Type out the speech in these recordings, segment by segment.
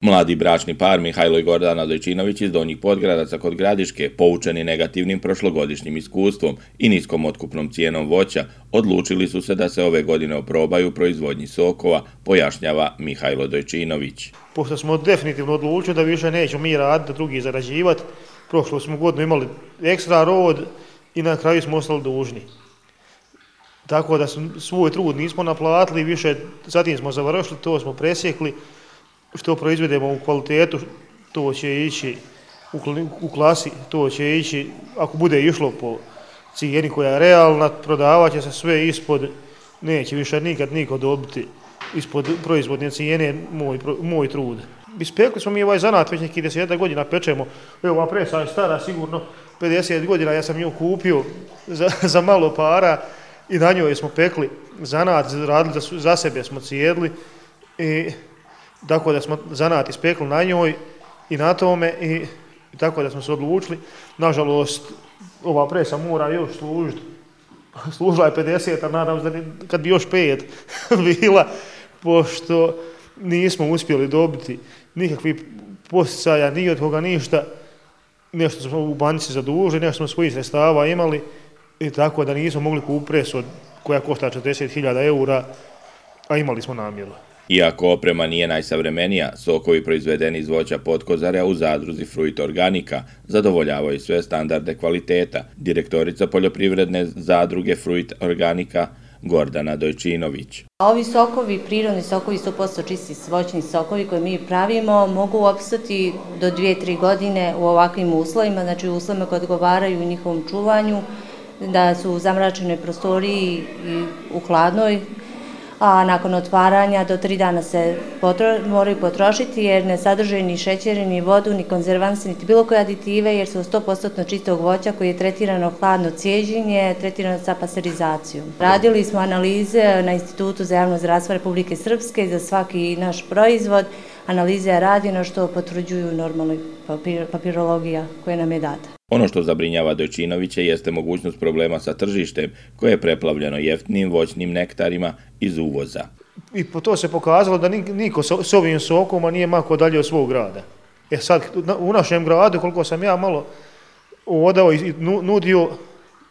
Mladi bračni par Mihajlo i Gordana Dojčinović iz Donjih Podgradaca kod Gradiške, poučeni negativnim prošlogodišnjim iskustvom i niskom otkupnom cijenom voća, odlučili su se da se ove godine oprobaju u proizvodnji sokova, pojašnjava Mihajlo Dojčinović. Pošto smo definitivno odlučili da više nećemo mi raditi, da drugi zarađivati, prošlu smo godinu imali ekstra rod i na kraju smo ostali dužni. Tako da svoj trud nismo naplatili, više zatim smo završili, to smo presjekli. Što proizvedemo u kvalitetu, to će ići u klasi, to će ići, ako bude išlo po cijeni koja je realna, prodavat će se sve ispod, neće više nikad niko dobiti ispod proizvodne cijene moj trud. Ispekli smo mi ovaj zanat već nekih 10 godina, pečemo, evo ova presa je stara sigurno 50 godina, ja sam nju kupio za malo para i na njoj smo pekli zanat, radili za sebe smo cijedli i tako da smo zanat ispekli na njoj i na tome i tako da smo se odlučili. Nažalost, ova presa mora još služiti. Služila je 50, a nadam se da kad bi još 5 bila, pošto nismo uspjeli dobiti nikakvih posticaja, ni od koga ništa. Nešto smo u banci zadužili, nešto smo svojih sredstava imali i tako da nismo mogli kupiti presu koja košta 40.000 eura, a imali smo namjeru. Iako oprema nije najsavremenija, sokovi proizvedeni iz voća potkozarja u zadruzi Fruit Organika zadovoljavaju sve standarde kvaliteta. Direktorica poljoprivredne zadruge Fruit Organika Gordana Dojčinović. Ovi sokovi, prirodni sokovi, 100% čisti voćni sokovi koje mi pravimo, mogu opstati do 2-3 godine u ovakvim uslovima, znači u uslovima koje odgovaraju njihovom čuvanju, da su u zamračenoj prostoriji i u hladnoj, a nakon otvaranja do 3 dana se moraju potrošiti jer ne sadrže ni šećer, ni vodu, ni konzervanse, niti bilo koje aditive jer su 100% čistog voća koji je tretirano hladno cijeđenje, tretirano sa pasterizacijom. Radili smo analize na Institutu za javno zdravstvo Republike Srpske za svaki naš proizvod. Analiza je rađena što potvrđuju normalna papirologija koja nam je data. Ono što zabrinjava Dojčinovića jeste mogućnost problema sa tržištem koje je preplavljeno jeftinim voćnim nektarima iz uvoza. I po to se pokazalo da niko s ovim sokoma nije mako dalje od svog grada. Sad, u našem gradu, koliko sam ja malo odao i nudio,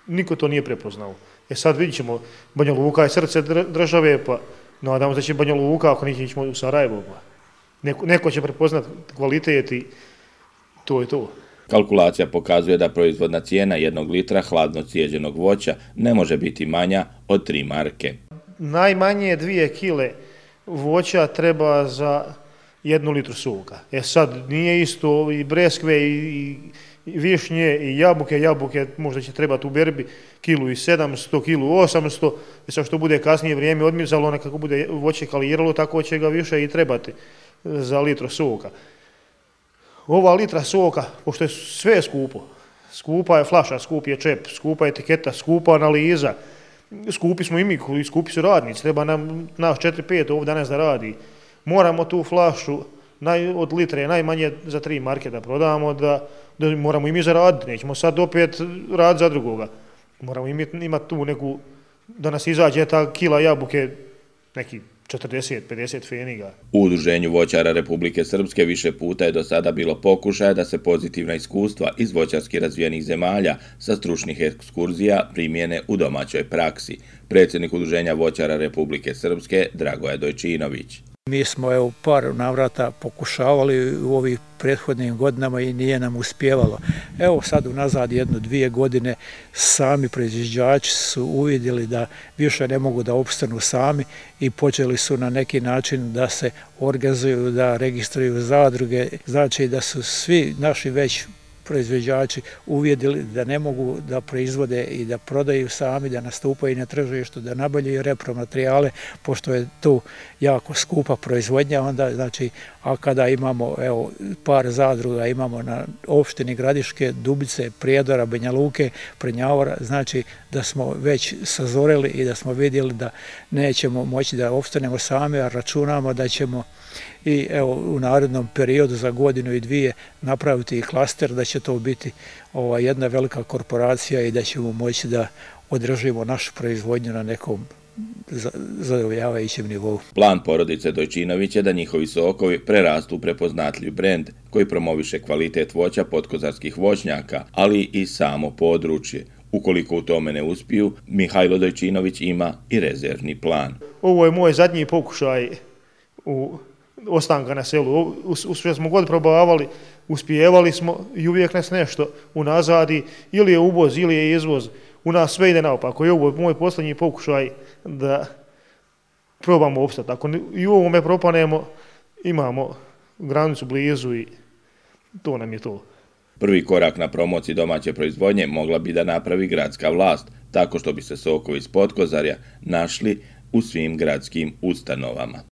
niko to nije prepoznao. Sad vidjet ćemo, Banja Luka je srce države, pa nadamo se da će Banja Luka, ako neće ići u Sarajevo, pa neko će prepoznat kvalitet i to je to. Kalkulacija pokazuje da proizvodna cijena 1 litra hladno cijeđenog voća ne može biti manja od 3 marke. Najmanje 2 kile voća treba za 1 litru soka. Sad nije isto i breskve i višnje i jabuke možda će trebati u berbi 1.700, 1.800, sad što bude kasnije vrijeme odmizalo, nekako bude voće kaliralo, tako će ga više i trebati za litru soka. Ova litra soka, pošto je sve skupo, skupa je flaša, skup je čep, skupa je etiketa, skupa analiza, skupi smo i mi, skupi su radnici, treba nam nas 4-5 ovdje danas da radi. Moramo tu flašu od litre najmanje za 3 marke da prodamo, da moramo i mi zaraditi, nećemo sad opet raditi za drugoga. Moramo imati tu neku, da nas izađe ta kila jabuke, neki 40-50 feniga. U Udruženju voćara Republike Srpske više puta je do sada bilo pokušaja da se pozitivna iskustva iz voćarski razvijenih zemalja sa stručnih ekskurzija primjene u domaćoj praksi. Predsjednik Udruženja voćara Republike Srpske Dragoje Dojčinović. Mi smo u par navrata pokušavali u ovih prethodnim godinama i nije nam uspjevalo. Sad unazad 1-2 godine sami proizvođači su uvidjeli da više ne mogu da opstanu sami i počeli su na neki način da se organizuju, da registruju zadruge. Znači da su svi naši već proizvođači uvidjeli da ne mogu da proizvode i da prodaju sami, da nastupaju na tržištu, da nabavljaju repromaterijale, pošto je tu jako skupa proizvodnja, onda znači, a kada imamo par zadruga, imamo na opštini Gradiške, Dubice, Prijedora, Banja Luke, Prnjavora, znači da smo već sazoreli i da smo vidjeli da nećemo moći da opstanemo sami, a računamo da ćemo i u narednom periodu za 1-2 napraviti i klaster, da će to biti jedna velika korporacija i da ćemo moći da održimo našu proizvodnju na nekom zadovoljavajućem nivou. Plan porodice Dojčinović je da njihovi sokovi prerastu u prepoznatljiv brend koji promoviše kvalitet voća podkozarskih voćnjaka, ali i samo područje. Ukoliko u tome ne uspiju, Mihajlo Dojčinović ima i rezervni plan. Ovo je moj zadnji pokušaj ostanka na selu. Sve smo god probavali, uspijevali smo i uvijek nas nešto unazadi, ili je uvoz ili je izvoz. U nas sve ide naopako i ovo je moj posljednji pokušaj da probamo opstati. Ako i u ovome propanemo, imamo granicu blizu i to nam je to. Prvi korak na promociji domaće proizvodnje mogla bi da napravi gradska vlast, tako što bi se sokovi iz Potkozarja našli u svim gradskim ustanovama.